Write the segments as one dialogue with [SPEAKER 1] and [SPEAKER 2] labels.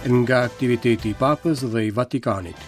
[SPEAKER 1] Nga aktiviteti i Papës dhe i Vatikanit.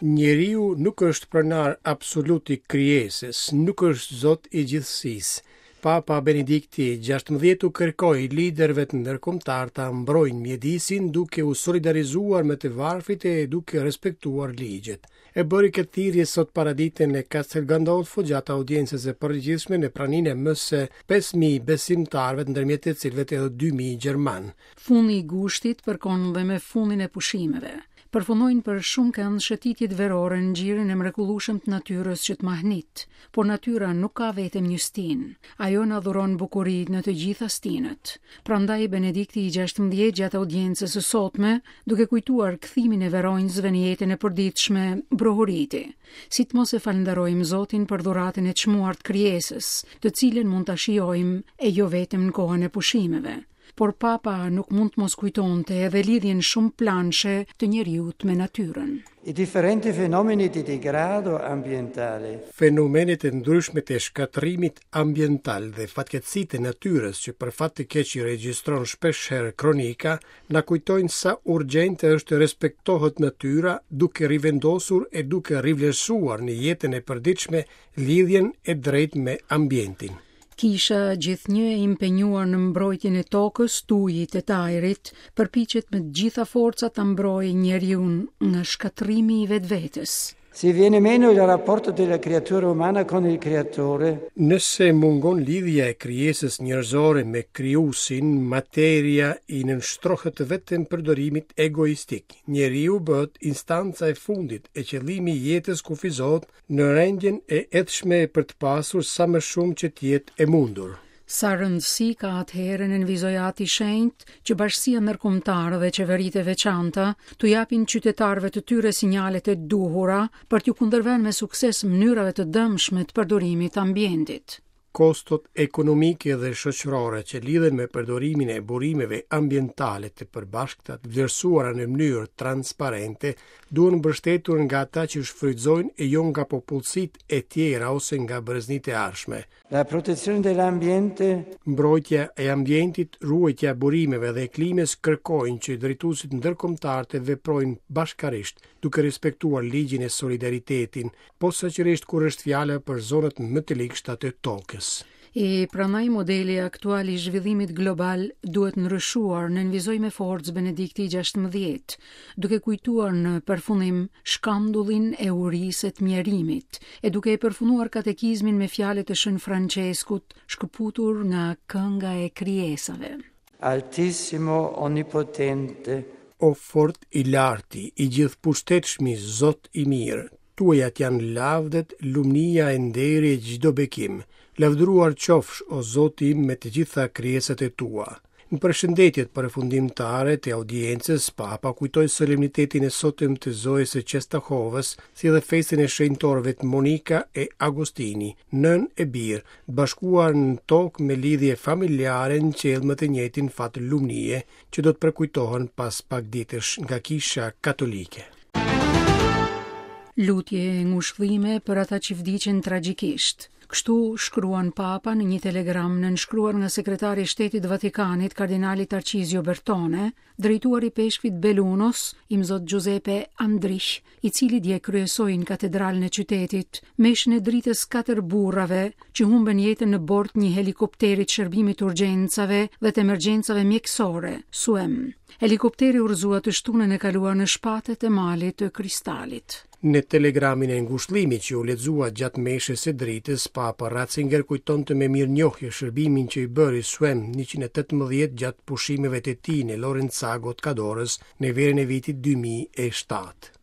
[SPEAKER 1] Njeriu nuk është pronar absolut i krijesës, nuk është zot i gjithësisë. Papa Benedikti XVI u kërkoi liderëve ndërkombëtarë ta mbrojnë mjedisin duke u solidarizuar me të varfrit e duke respektuar ligjet. E bëri këtë thirrje sot paradite në Castel Gandolfo gjatë audiencës së përgjithshme në praninë e më se 5000 besimtarëve, ndërmjet të cilëve edhe 2000 gjermanë.
[SPEAKER 2] Fundi i gushtit përkon dhe me fundin e pushimeve. Përfundojnë për shumëkënd shëtitjet verore në gjirin e mrekullueshëm të natyrës që të mahnit. Por natyra nuk ka vetëm një stinë. Ajo na dhuron bukuri në të gjitha stinët. Prandaj Benedikti i 16 gjatë audiencës së sotme, duke kujtuar kthimin e veronjësve në jetën e përditshme, brohoriti. Si të mos e falënderojmë Zotin për dhuratën e çmuar të krijesës, të cilën mund ta shijojmë e jo vetëm në kohën e pushimeve. Por Papa nuk mund të mos kujtonte edhe lidhjen shumëplanëshe të njeriut me natyrën.
[SPEAKER 3] I differenti fenomeni di degrado ambientale.
[SPEAKER 1] Fenomenet e ndryshme të shkatërrimit ambiental dhe fatkeqësitë e natyrës që për fat të keq i regjistron shpeshherë kronika, na kujtojnë sa urgjente është të respektohet natyra duke rivendosur e duke rivlerësuar në jetën e përditshme lidhjen e drejtë me ambientin.
[SPEAKER 2] Kisha, gjithnjë e impenjuar në mbrojtjen e tokës, të ujit e të ajrit, përpiqet me të gjitha forcat ta mbrojë njeriun nga shkatërrimi i vetvetes.
[SPEAKER 3] Se viene meno il rapporto della creatura umana con il creatore.
[SPEAKER 1] Nëse mungon lidhja e krijesës njerëzore me Krijuesin, materia i nënshtrohet vetëm përdorimit egoistik. Njeriu bëhet instanca e fundit e qëllimi i jetës kufizohet në rendjen e ethshme për të pasur sa më shumë që të jetë e mundur.
[SPEAKER 2] Sa rëndësi ka atëherë, nënvizoi Ati i Shenjtë, që bashkësia ndërkombëtare dhe qeveritë e veçanta t'u japin qytetarëve të tyre sinjalet e duhura për t'iu kundërvënë me sukses mënyrave të dëmshme të përdorimit të ambientit.
[SPEAKER 1] Kostot ekonomike dhe shoqërore që lidhen me përdorimin e burimeve ambientale të përbashkëta të vlerësuara në mënyrë transparente duhen mbështetur nga ata që shfrytëzojnë e jo nga popullsitë e tjera ose nga breznitë e ardhshme.
[SPEAKER 3] La protezione dell'ambiente.
[SPEAKER 1] Mbrojtja e ambientit, ruajtja e burimeve dhe e klimës kërkojnë që drejtuesit ndërkombëtarë të veprojnë bashkarisht, duke respektuar ligjin e solidaritetin, posaçërisht kur është fjala për zonat më të ligshta të tokës.
[SPEAKER 2] E prandaj modeli aktual i zhvillimit global duhet ndryshuar, nënvizoi me forcë Benedikti i 16, duke kujtuar në përfundim shkandullin e urisë e të mjerimit, e duke e përfunduar katekizmin me fjalët e Shën Françeskut, shkëputur nga kënga e krijesave.
[SPEAKER 3] Altissimo Onnipotente.
[SPEAKER 1] O fort i larti, i gjithëpushtetshmi Zot i mirë, tuajat janë lavdet, lumnia e nderi e çdo bekim. Lavdëruar qofsh, o Zoti im, me të gjitha krijesat e tua. Në përshëndetjet përfundimtare të audiencës, Papa kujtoi solemnitetin e sotëm të Zojës së Çenstohovës, si dhe festën e shenjtorëve Monika e Agostini, nënë e bir, të bashkuar në tokë me lidhje familjare në qiell me të njëjtin fat lumnie, që do të përkujtohen pas pak ditësh nga Kisha Katolike.
[SPEAKER 2] Lutje e ngushëllime për ata që vdiqën tragjikisht. Kështu shkruan Papa në një telegram nënshkruar nga sekretari i Shtetit të Vatikanit, kardinali Tarcizio Bertone, drejtuar ipeshkvit Bellunos, imzot Giuseppe Andrich, i cili dje kryesoi në katedralen e qytetit, meshën e dritës katër burrave që humbën jetën në bord të një helikopteri të shërbimit të urgjencave dhe të emergjencave mjekësore, SUEM. Helikopteri u rrëzua të shtunën e kaluar në shpatet e malit të Kristalit.
[SPEAKER 1] Në telegramin e ngushëllimit që u lexua gjatë meshës së dritës, Papa Ratzinger kujtonte me mirënjohje shërbimin që i bëri Suem 118 gjatë pushimeve të tij në Lorenzago të Cadorës në verën e vitit 2007.